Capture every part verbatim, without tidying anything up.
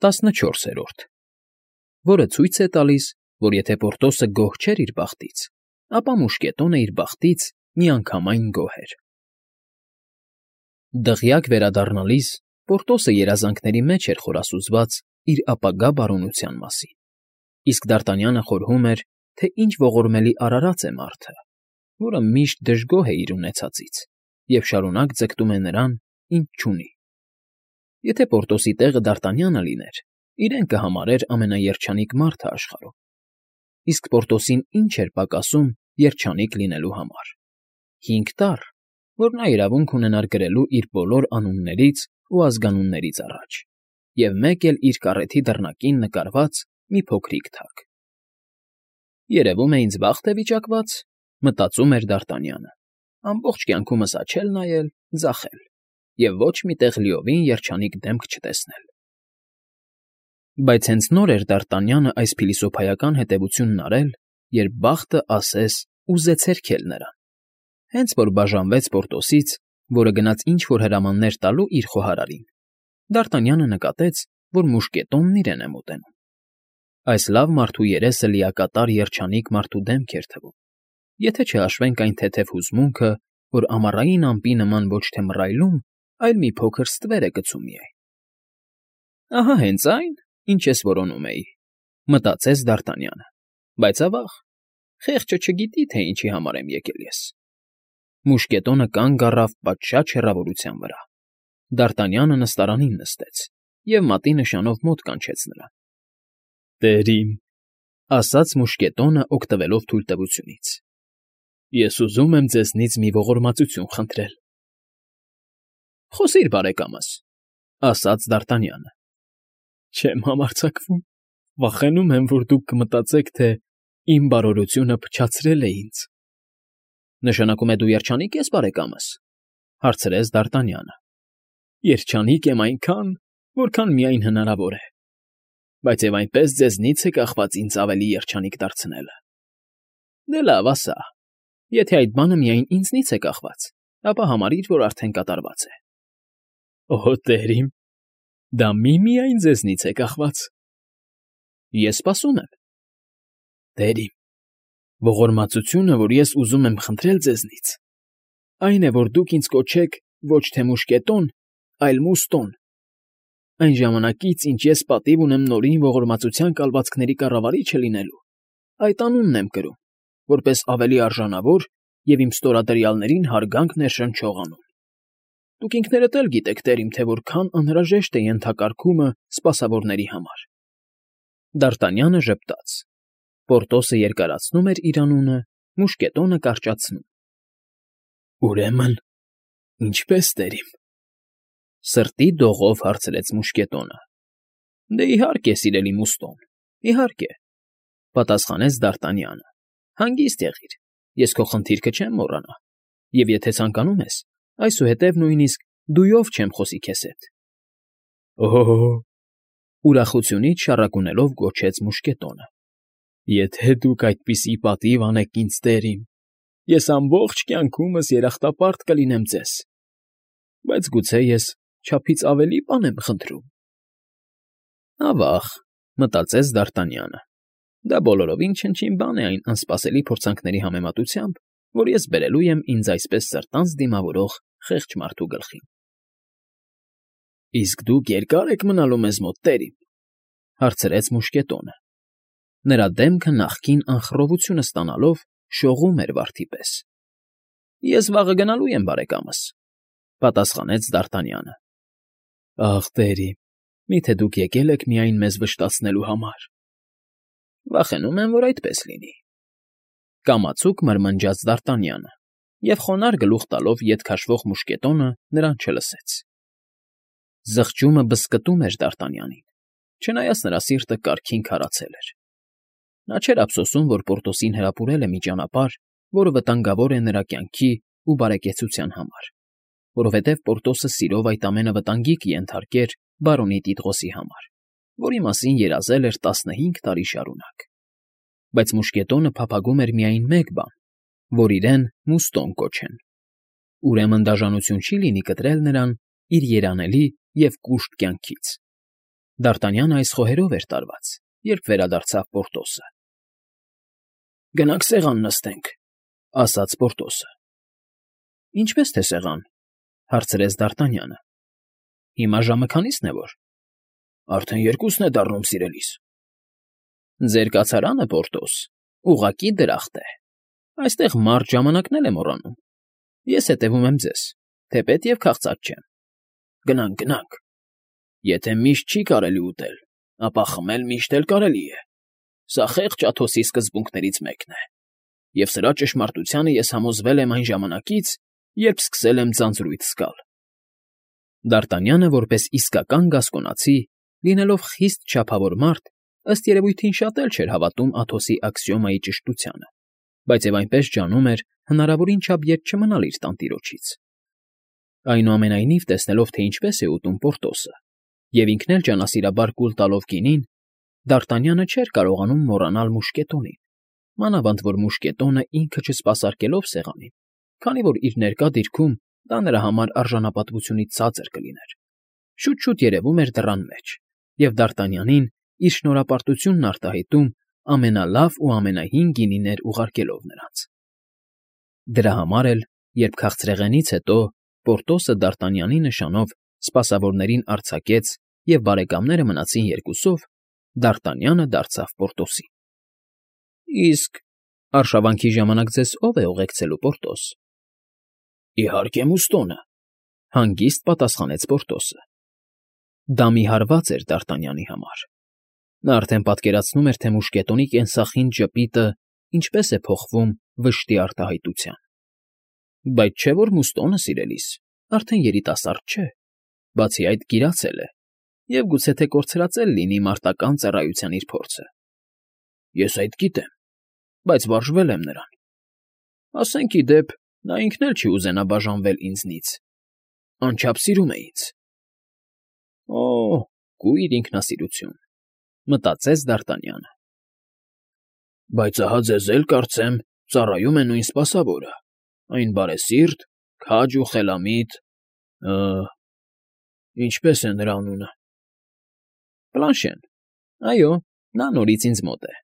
տասնչորսերորդ Որը ցույց է տալիս, որ եթե Պորտոսը գոհ չէր իր բախտից, ապա մուշկետոնը իր բախտից միանգամայն գոհ էր։ Դղյակ վերադառնալիս Պորտոսը երազանքների մեջ էր խորասուզված իր ապագա բարօրության մասին, իսկ Դարտանյանը խորհում էր, թե ինչ ողորմելի արարած է մարդը, որը միշտ դժգոհ է իր ունեցածից և շարունակ ձգտում է նրան, ինչ չունի։ Եթե Պորտոսի տեղը Դարտանյանը լիներ, իրեն կհամարեր ամենաերջանիկ մարդը աշխարհում, իսկ Պորտոսին ինչ էր պակասում երջանիկ լինելու համար։ Հինգ տառ, որ նա իրավունք ունենար գրելու իր բոլոր անուններից ու ազգանուններից առաջ, և մեկ էլ իր կառեթի դռնակին նկարված մի փոքրիկ թագ։ «Երևում է ինձ բախտ է վիճակված,֊ մտածում էր Դարտանյանը,֊ ամբողջ կյանքումս աչել նայել, ձախել և ոչ մի տեղ լիովին երջանիկ դեմք չտեսնել»։ Բայց հենց նոր էր Դարտանյանը այս փիլիսոփայական հետևությունն արել, երբ բախտը ասես ուզեց հերքել նրան։ Հենց որ բաժանվեց Պորտոսից, որը գնաց ինչ֊որ հրամաններ տալու իր խոհարարին, Դարտանյանը նկատեց, որ մուշկետոնն իրեն է մոտենում։ Այս լավ մարդու երեսը լիակատար երջանիկ մարդու դեմք էր թվում, եթե չհաշվենք այն թեթև հուզմունքը, որ ամառային ամպի նման ոչ թե մռայլում, այլ մի փոքր ստվեր է գցում միայն։ «Ահա հենց այն, ինչ ես որոնում էի,֊ մտածեց Դարտանյանը,֊ բայց ավա՜ղ, խեղճը չգիտի, թե ինչի համար եմ եկել ես»։ Մուշկետոնը կանգ առավ պատշաճ հեռավորության վրա։ Դարտանյանը նստարանին նստեց և մատի նշանով մոտ կանչեց նրան։ «Տեր իմ,֊ ասաց մուշկետոնը, օգտվելով թույլտվությունից,֊ ես ուզում եմ ձեզնից մի ողորմածություն խնդրել»։ «Խոսիր, բարեկամս,֊ ասաց Դարտանյանը։ «Չեմ համարձակվում, վախենում եմ, որ դուք կմտածեք, թե իմ բարօրությունը փչացրել է ինձ»։ «Նշանակում է դու երջանիկ ես, բարեկամս,֊ հարցրեց Դարտանյանը։ «Երջանիկ եմ այնքան, որքան միայն հնարավոր է, բայց և այնպես ձեզնից է կախված ինձ ավելի երջանիկ դարձնելը»։ «Դե լավ, ասա, եթե այդ բանը միայն ինձնից է կախված, ապա համարիր, որ արդեն կատարված է»։ «Օհո, տեր իմ, դա միմիայն ձեզնից է կախված»։ «Ես սպասում եմ»։ «Տեր իմ, ողորմածությունը, որ ես ուզում եմ խնդրել ձեզնից, այն է, որ դուք ինձ կոչեք ոչ թե մուշկետոն, այլ Մուստոն։ Այն ժամանակից, ինչ ես պատիվ ունեմ Նորին ողորմածության կալվածքների կառավարիչը լինելու, այդ անունն եմ կրում, որպես ավելի արժանավոր և իմ ստորադրյալներին հարգանք ներշնչող անուն։ Դուք ինքներդ էլ գիտեք, տեր իմ, թե որքան անհրաժեշտ է ենթակարգումը սպասավորների համար»։ Դարտանյանը ժպտաց։ Պորտոսը երկարացնում էր իր անունը, մուշկետոնը կարճացնում։ «Ուրեմն, ինչպե՞ս, տեր իմ,֊ սրտի դողով հարցրեց մուշկետոնը։ «Դե իհարկե, սիրելի Մուստոն, իհարկե,֊ պատասխանեց Դարտանյանը։ «Հանգիստ եղիր, ես քո խնդիրքը չեմ մոռանա, և եթե ցանկանում ես, այսուհետև նույնիսկ դույով չեմ խոսի քեզ հետ»։ «Օ՜օ,֊ ուրախությունից շառակունելով գոչեց մուշկետոնը,֊ եթե դուք այդպիսի պատիվ անեք ինձ, տեր իմ, ես ամբողջ կյանքումս երախտապարտ կլինեմ ձեզ, բայց գուցե ես չափից ավելի բան եմ խնդրում»։ «Ավա՜ղ,֊ մտածեց Դարտանյանը,֊ դա բոլորովին չնչին բան է այն անսպասելի փորձանքների համեմատությամբ, որ ես բերելու եմ ինձ այսպես սրտանց դիմավորող խեղճ մարդու գլխին»։ «Իսկ դուք երկա՞ր եք մնալու մեզ մոտ, տեր իմ,֊ հարցրեց մուշկետոնը։ Նրա դեմքը նախկին անխռովությունը ստանալով շողում էր վարդի պես։ «Ես վաղը գնալու եմ, բարեկամս,֊ պատասխանեց Դարտանյանը։ «Ախ, տեր իմ, մի՞թե դուք եկել եք միայն մեզ վշտացնելու համար»։ «Վախենում եմ, որ այդպես լինի», կամացուկ մրմնջաց Դարտանյանը, և խոնարհ գլուխ տալով ետ քաշվող մուշկետոնը նրան չլսեց։ Զղջումը բզկտում էր Դարտանյանին, չնայած նրա սիրտը կարգին քարացել էր։ Նա չէր ափսոսում, որ Պորտոսին հրապուրել է մի ճանապարհ, որը վտանգավոր է նրա կյանքի ու բարեկեցության համար, որովհետև Պորտոսը սիրով այդ ամենը վտանգի կենթարկեր բարոնի Տիտղոսի համար, որի մասին երազել էր տասնհինգ տարի շարունակ։ Բայց մուշկետոնը փափագում էր միայն մեկ բան, որ իրեն Մուստոն կոչեն։ Ուրեմն դաժանություն չի լինի կտրել նրան իր երանելի և կուշտ կյանքից։ Դարտանյանը այս խոհերով էր տարված, երբ վերադարձավ Պորտոսը։ ֊ Գնանք սեղան նստենք,֊ ասաց Պորտոսը։ ֊ Ինչպես թե սեղան,֊ հարցրեց Դարտանյանը։ ֊ Հիմա ժամը քանի՞սն է որ։ ֊ Արդեն երկուսն է դառնում, սիրելիս։ ֊ Ձեր կացարանը, Պորտոս, ուղղակի դրախտ է։ Այստեղ մարդ ժամանակն էլ է մոռանում։ Ես հետևում եմ ձեզ, թեպետ և քաղցած չեմ։ Գնանք, գնանք։ Եթե միշտ չի կարելի ուտել, ապա խմել միշտ էլ կարելի է։ Սա խեղճ Աթոսի սկզբունքներից մեկն է, և սրա ճշմարտությանը ես համոզվել եմ այն ժամանակից, երբ սկսել եմ ձանձրույթ զգալ։ Դարտանյանը, որպես իսկական գասկոնացի, լինելով խիստ չափավոր մարդ, ըստ երևույթին շատ էլ չէր հավատում Աթոսի աքսիոմայի ճշտությանը, բայց և այնպես ջանում էր հնարավորին չափ ետ չմնալ իր տանտիրոջից։ Այնուամենայնիվ, տեսնելով, թե ինչպես է ուտում Պորտոսը, և ինքն էլ ջանասիրաբար կուլ տալով գինին, Դարտանյանը չէր կարողանում մոռանալ մուշկետոնին, մանավանդ որ մուշկետոնը ինքը չսպասարկելով սեղանին, քանի որ իր ներկա դիրքում դա նրա համար արժանապատվությունից ցածր կլիներ, շուտ֊շուտ երևում էր դռան մեջ և Դարտանյանին իր շնորհապարտությունն արտահայտում ամենալավ ու ամենահին գինիներ ուղարկելով նրանց։ Դրա համար էլ, երբ քաղցրեղենից հետո Պորտոսը Դարտանյանի նշանով սպասավորներին արձակեց և բարեկամները մնացին երկուսով, Դարտանյանը դարձավ Պորտոսին։ ֊ Իսկ արշավանքի ժամանակ ձեզ ո՞վ է ուղեկցելու, Պորտոս։ ֊ Իհարկե, Մուստոնը,֊ հանգիստ պատասխանեց Պորտոսը։ Դա մի հարված էր Դարտանյանի համար։ Նա արդեն պատկերացնում էր, թե մուշկետոնի կենսախինդ ժպիտը ինչպես է փոխվում վշտի արտահայտության։ Բայց չէ՞ որ Մուստոնը, սիրելիս, արդեն երիտասարդ չէ, բացի այդ գիրացել է և գուցե թե կորցրածել լինի մարտական ծառայության իր փորձը։ ֊ Ես այդ գիտեմ, բայց վարժվել եմ նրան։ Ասենք, ի դեպ, նա ինքն էլ չի ուզենա բաժանվել ինձնից, անչափ սիրում է ինձ։ «Օ՜, կույր ինքնասիրություն,֊ մտածեց Դարտանյանը։ Բայց ահա ձեզ էլ, կարծեմ, ծառայում է նույն սպասավորը, այն բարեսիրտ, քաջ ու խելամիտ… Ը… ինչպե՞ս է նրա անունը։ ֊ Պլանշեն։ Այո, նա նորից ինձ մոտ է,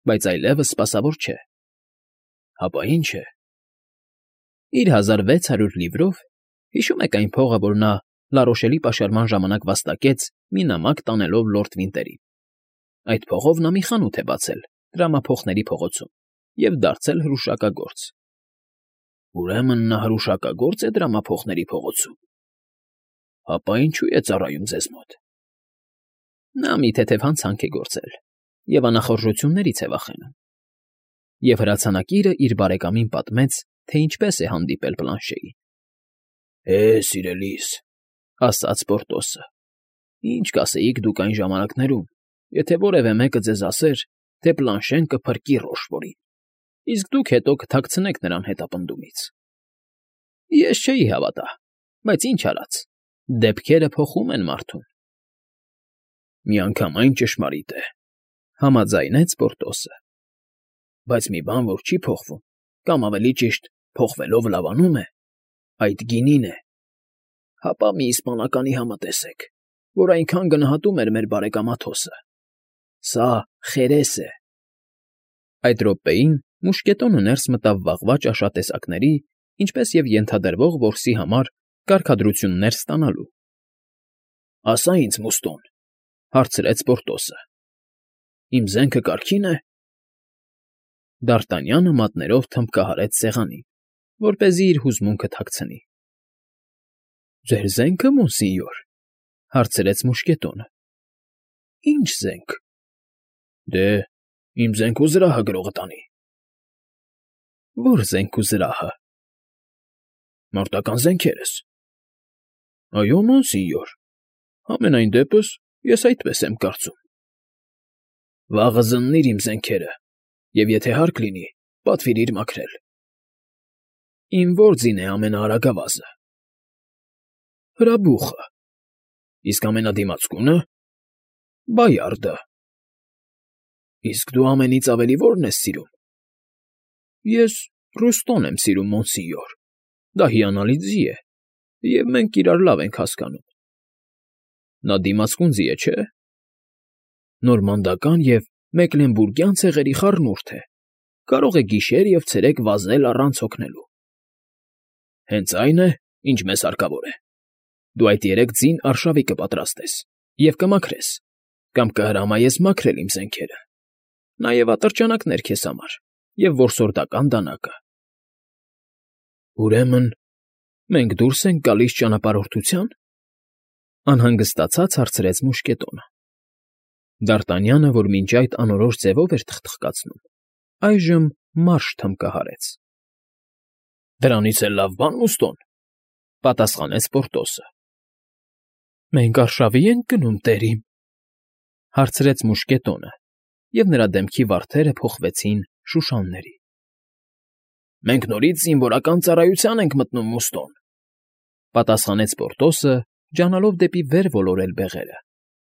բայց այլևս սպասավոր չէ։ ֊ Հապա ի՞նչ է։ ֊ Իր հազար վեց հարյուր լիվրով, հիշում եք այն փողը, որ նա Լարոշելի պաշարման ժամանակ վաստակեց մի նամակ տանելով լորդ Վինտերին, այդ փողով նա մի խանութ է բացել Տրամափոխների փողոցում և դարձել հրուշակագործ։ ֊ Ուրեմն նա հրուշակագո՞րծ է Տրամափոխների փողոցում։ ֊ Հապա ինչո՞ւ է ծառայում ձեզ մոտ։ ֊ Նա մի թեթև հանցանք է գործել և անախորժություններից է վախենում։ Եվ հրացանակիրը իր բարեկամին պատմեց, թե ինչպես է հանդիպել Պլանշեին։ ֊ Է, սիրելիս,֊ ասաց Պորտոսը,֊ ինչ կասեիք դուք այն ժամանակներում, եթե որևէ մեկը ձեզ ասեր, թե Պլանշեն կփրկի Ռոշֆորին, իսկ դուք հետո կթաքցնեք նրան հետապնդումից։ Ես չէի հավատա, բայց ինչ արած, դեպքերը փոխում են մարդուն։ ֊ Միանգամայն ճշմարիտ է,֊ համաձայնեց Պորտոսը։ ֊ Բայց մի բան, որ չի փոխվում, կամ ավելի ճիշտ, փոխվելով լավանում է, այդ գինին է։ Հապա մի իսպանականի համը տեսեք, որ այնքան գնահատում էր մեր բարեկամ Աթոսը։ Սա խերես է։ Այդ րոպեին մուշկետոնը ներս մտավ վաղվա ճաշատեսակների, ինչպես և ենթադրվող որսի համար կարգադրություններ ստանալու։ ֊ Ասա ինձ, Մուստոն,֊ հարցրեց Պորտոսը,֊ իմ զենքը կարգի՞ն է։ Դարտանյանը մատներով թմբկահարեց սեղանին, որպեսզի իր հուզմունքը թաքցնի։ ֊ Ձեր զե՞նքը, մոնսինյոր,֊ հարցրեց մուշկետոնը։ ֊ Ի՞նչ զենք։ ֊ Դե, իմ զենք ու զրահը գրողը տանի։ ֊ Ո՞ր զենք ու զրահը։ ֊ Մարտական զենքերս։ ֊ Այո, մոնսինյոր, համենայն դեպս ես այդպես եմ կարծում։ ֊ Վաղը զննիր իմ զենքերը և, եթե հարկ լինի, պատվիրիր մաքրել։ ֊ Իմ ո՞ր ձին է ամենաարագավազը։ ֊ Հրաբուխը։ ֊ Իսկ ամենադիմացկո՞ւնը։ ֊ Բայարդը։ ֊ Իսկ դու ամենից ավելի ո՞րն ես սիրում։ ֊ Ես Ռոստոն եմ սիրում, մոնսինյոր, դա հիանալի ձի է, և մենք իրար լավ ենք հասկանում։ ֊ Նա դիմացկուն ձի է, չէ՞։ նորմանդական և մեկլենբուրգյան ցեղերի խառնուրդ է, կարող է գիշեր և ցերեկ վազել առանց հոգնելու։ ֊ Հենց այն է, ինչ մեզ հարկավոր է։ Դու այդ երեք ձին արշավի կպատրաստես և կմաքրես, կամ կհրամայես մաքրել իմ զենքերը, նաև ատրճանակներ քեզ համար և որսորդական դանակը։ ֊ Ուրեմն մենք դուրս ենք գալիս ճանապարհորդությա՞ն,֊ անհանգստացած հարցրեց մուշկետոնը։ Դ'Արտանյանը, որ մինչ այդ անորոշ ձևով էր թխթխկացնում, այժմ մարջ թմկահարեց։ ֊ Դրանից էլ լավ բան, Մուստո՛ն,֊ պատասխանեց Պորտոսը։ ֊ Մենք արշավի՞ ենք գնում, տերրիմ,֊ հարցրեց մուշկետոնը, և նրա դեմքի վարդերը փոխվեցին շուշանների։ ֊ Մենք նորից զինվորական ծառայության ենք մտնում, Մուստո՛ն,֊ պատասխանեց Պորտոսը, ջանալով դեպի վեր ոլորել բեղերը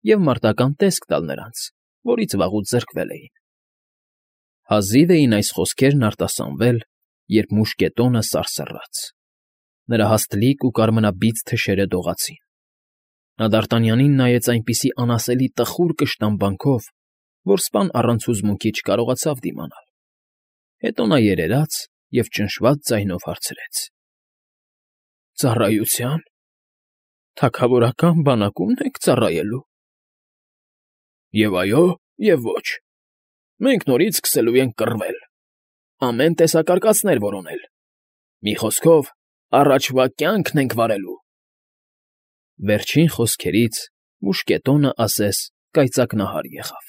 և մարտական տեսք տալ նրանց, որից վաղուց զրկվել էին։ Հազիվ էին այս խոսքերն արտասանվել, երբ մուշկետոնը սարսռաց. նրա հաստլիկ ու կարմրաբիծ թշերը դողացին։ Նա Դ'Արտանյանին նայեց այնպիսի անասելի տխուր կշտամբանքով, որ սպան առանց հուզմունքի չկարողացավ դիմանալ։ Հետո նա երերաց և ճնշված ձայնով հարցրեց. ֊ Ծառայությա՞ն… Թագավորական բանակո՞ւմն եք ծառայելու։ ֊ ԵՒ այո, և ոչ… Մենք նորից սկսելու ենք կռվել, ամեն տեսակարկածներ որոնել, մի խոսքով, առաջվա կյանքն ենք վարելու… Վերջին խոսքերից մուշկետոնը ասես կայծակնահար եղավ։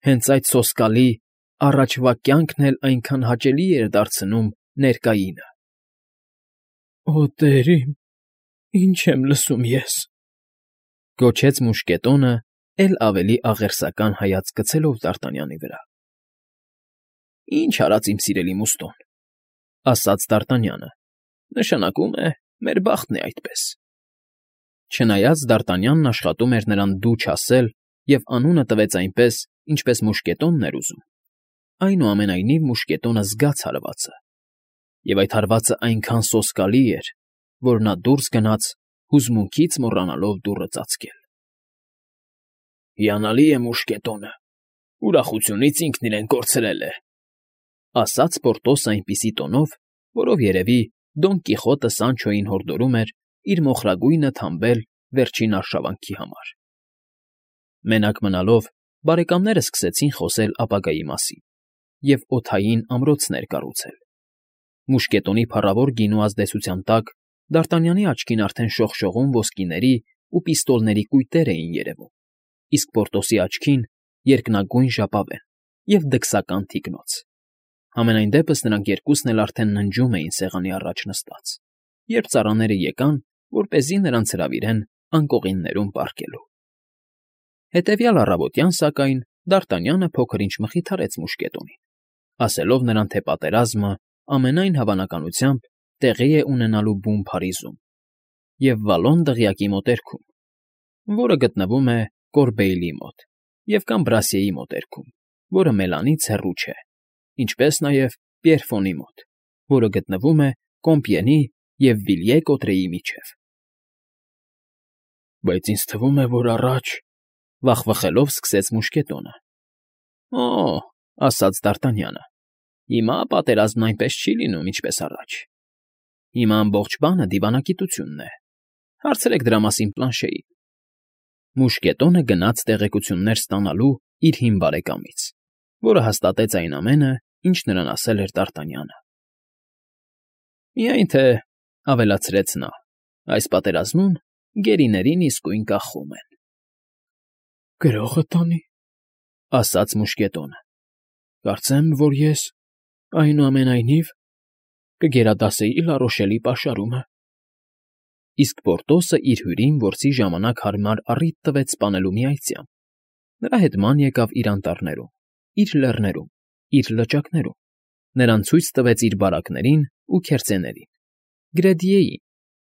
Հենց այդ սոսկալի «առաջվա կյանքն էլ այնքան հաճելի էր դարձնում» ներկայինը։ ֊ Օ, տերրիմ, ի՜նչ եմ լսում ես,֊ գոչեց մուշկետոնը, էլ ավելի աղերսական հայացք գցելով Դ'Արտանյանի վրա։ ֊ Ինչ արած, իմ սիրելի Մուստո՛ն,֊ ասաց Դ'Արտանյանը,֊ նշանակում է, մեր բախտն է այդպես։ Չնայած Դ'Արտանյանն աշխատում էր նրան դու չասել և անունը տվեց այնպես, ինչպես մուշկետոնն էր ուզում, այնուամենայնիվ մուշկետոնը զգաց հարվածը, և այդ հարվածը այնքան սոսկալի էր, որ նա դուրս գնաց, հուզմունքից մոռանալով դուռը ծածկել։ ֊ Հիանալի է մուշկետոնը, ուրախությունից ինքն իրեն կորցրել է,֊ ասաց Պորտոսը այնպիսի տոնով, որով, երևի, Դոն Կիխոտը Սանչոյին հորդորում էր իր մոխրագույնը թամբել վերջին արշավանքի համար։ Մենակ մնալով բարեկամներն սկսեցին խոսել ապագայի մասին և օդային ամրոցներ կառուցել։ Մուշկետոնի փառավոր գինու ազդեցության տակ Դ'Արտանյանի աչքին արդեն շողշողուն ոսկիների ու պիստոլների կույտեր էին երևում, իսկ Պորտոսի աչքին՝ երկնագույն ժապավեն և դքսական թիկնոց։ Համենայն դեպս նրանք երկուսն էլ արդեն ննջում էին սեղանի առաջ նստած, երբ ծառաները եկան, որպեսզի նրանց հրավիրեն անկողիններում պառկելու։ Հետևյալ առավոտյան, սակայն, Դ'Արտանյանը փոքր֊ինչ մխիթարեց մուշկետոնին, ասելով նրան, թե պատերազմը, ամենայն հավանականությամբ, տեղի է ունենալու բուն Փարիզում և Վալոն դղյակի մոտերքում, որը գտնվում է Կորբեիլի մոտ, և կամ Բրասիեի մոտերքում, որը Մելանից հեռու չէ, ինչպես նաև Պիերֆոնի մոտ, որը գտնվում է Կոմպիենի և Վիլյե֊Կոտրեի միջև։ ֊ Բայց ինձ թվում է, որ առաջ,֊ վախվխելով սկսեց մուշկետոնը։ ֊ Օ՜, ասաց Դ'Արտանյանը, հիմա պատերազմն այնպես չի լինում, ինչպես առաջ. հիմա ամբողջ բանը դիվանագիտությունն է, հարցրեք դրա մասին Պլանշեին։ Մուշկետոնը գնաց տեղեկություններ ստանալու իր հին բարեկամից, որը հաստատեց այն ամենը, ինչ նրան ասել էր Դ'Արտանյանը։ Միայն թե,֊ ավելացրեց նա,֊ այս պատերազմում գերիներին իսկույն կախում են։ ֊ Գրո՞ղը տանի,֊ ասաց մուշկետոնը,֊ կարծեմ, որ ես, այնուամենայնիվ, կգերադասեի Լարոշելի պաշարումը։ Իսկ Պորտոսը իր հյուրին որսի ժամանակ հարմար առիթ տվեց սպանելու մի այծյամ, նրա հետ ման եկավ իր անտառներում, իր լեռներում, իր լճակներում, նրան ցույց տվեց իր բարակներին ու քերծեներին, Գրեդիեին,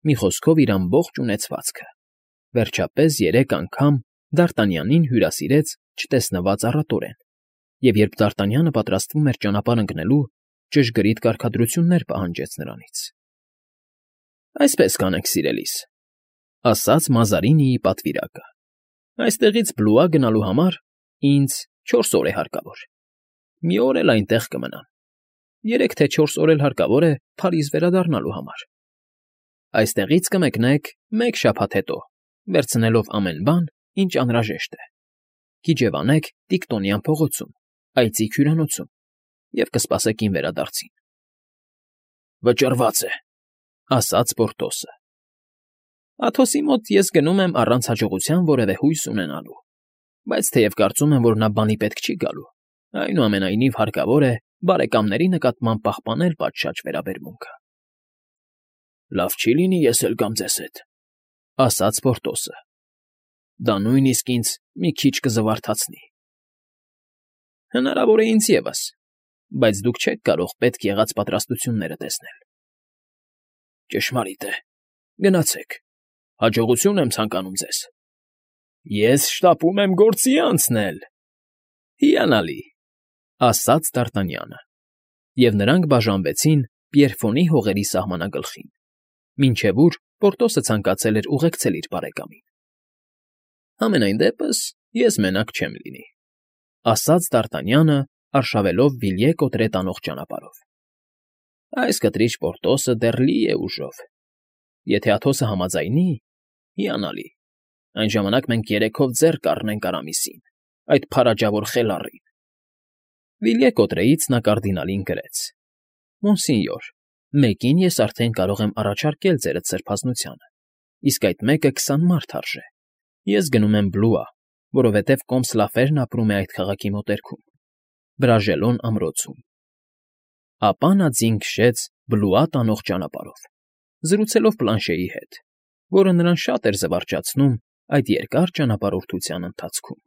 մի խոսքով իր ամբողջ ունեցվածքը, վերջապես երեք անգամ Դ'Արտանյանին հյուրասիրեց չտեսնված առատորեն, և երբ Դ'Արտանյանը պատրաստվում էր ճանապարհ ընկնելու, ճշգրիտ կարգադրություններ պահանջեց նրանից։ ֊ Այսպես կանենք, սիրելիս,֊ ասաց Մազարինիի պատվիրակը,֊ այստեղից Բլուա գնալու համար Ինձ չորս օր է հարկավոր։ Մի օր էլ այնտեղ կմնամ։ Երեք թե չորս օր էլ հարկավոր է Փարիզ վերադառնալու համար։ Այստեղից կմեկնեք մեկ շաբաթ հետո, վերցնելով ամեն բան, ինչ անհրաժեշտ է։ Կիջևանեք Տիկտոնյան փողոցում, այծիկ հյուրանոցում, և կսպասեք իմ վերադարձին։ Վճռված է, ասաց Պորտոսը։ Աթոսի մոտ ես գնում եմ առանց հաջողության որևէ հույս ունենալու, բայց թեև կարծում եմ, որ նա բանի պետք չի գալու, այնուամենայնիվ հարկավոր է բարեկամների նկատմամբ պահպանել պատշաճ վերաբերմունքը։ Լավ չի լինի ես էլ գամ ձեզ հետ, ասաց Պորտոսը։ Դա նույնիսկ ինձ մի քիչ կզվարթացնի։ Հնարավոր է ինձ ևս, բայց դուք չեք կարող պետք եղած պատրաստությունները տեսնել։ Ճշմարիտ է, գնացեք, հաջողություն եմ ցանկանում ձեզ։ Ես շտապում եմ գործի անցնել։ Հիանալի, ասաց Դ'Արտանյանը, և նրանք բաժանվեցին Պիերֆոնի հողերի սահմանագլխին, մինչև ուր Պորտոսը ցանկացել էր ուղեկցել իր բարեկամին։ Համենայն դեպս ես մենակ չեմ լինի, ասաց Դ'Արտանյանը, արշավելով Վիլյե կոտրե տանող ճանապարհով։ Այս կտրիչ Պորտոսը դեռ լի է ուժով։ Եթե Աթոսը համաձայնի, հիանալի, այն ժամանակ մենք երեքով ձեռ կառնենք Արամիսին, այդ փարաջավոր խելառին։ Վիլյե կոտրեից նա կարդինալին գրեց. Մոնսինյոր, մեկին ես արդեն կարող եմ առաջարկել ձերդ սրբազնությանը, իսկ այդ մեկը քսան մարդ արժե։ Ես գնում եմ Բլուա, որովհետև Կոմսլաֆերն ապրում է այդ քաղաքի մոտերքում, Բրաժելոն ամրոցում։ Ապա նա ձին քշեց Բլուա տանող ճանապարհով, զրուցելով Պլանշեի հետ, որը նրան շատ էր զվարճացնում այդ երկար ճանապարհորդության ընթացքում։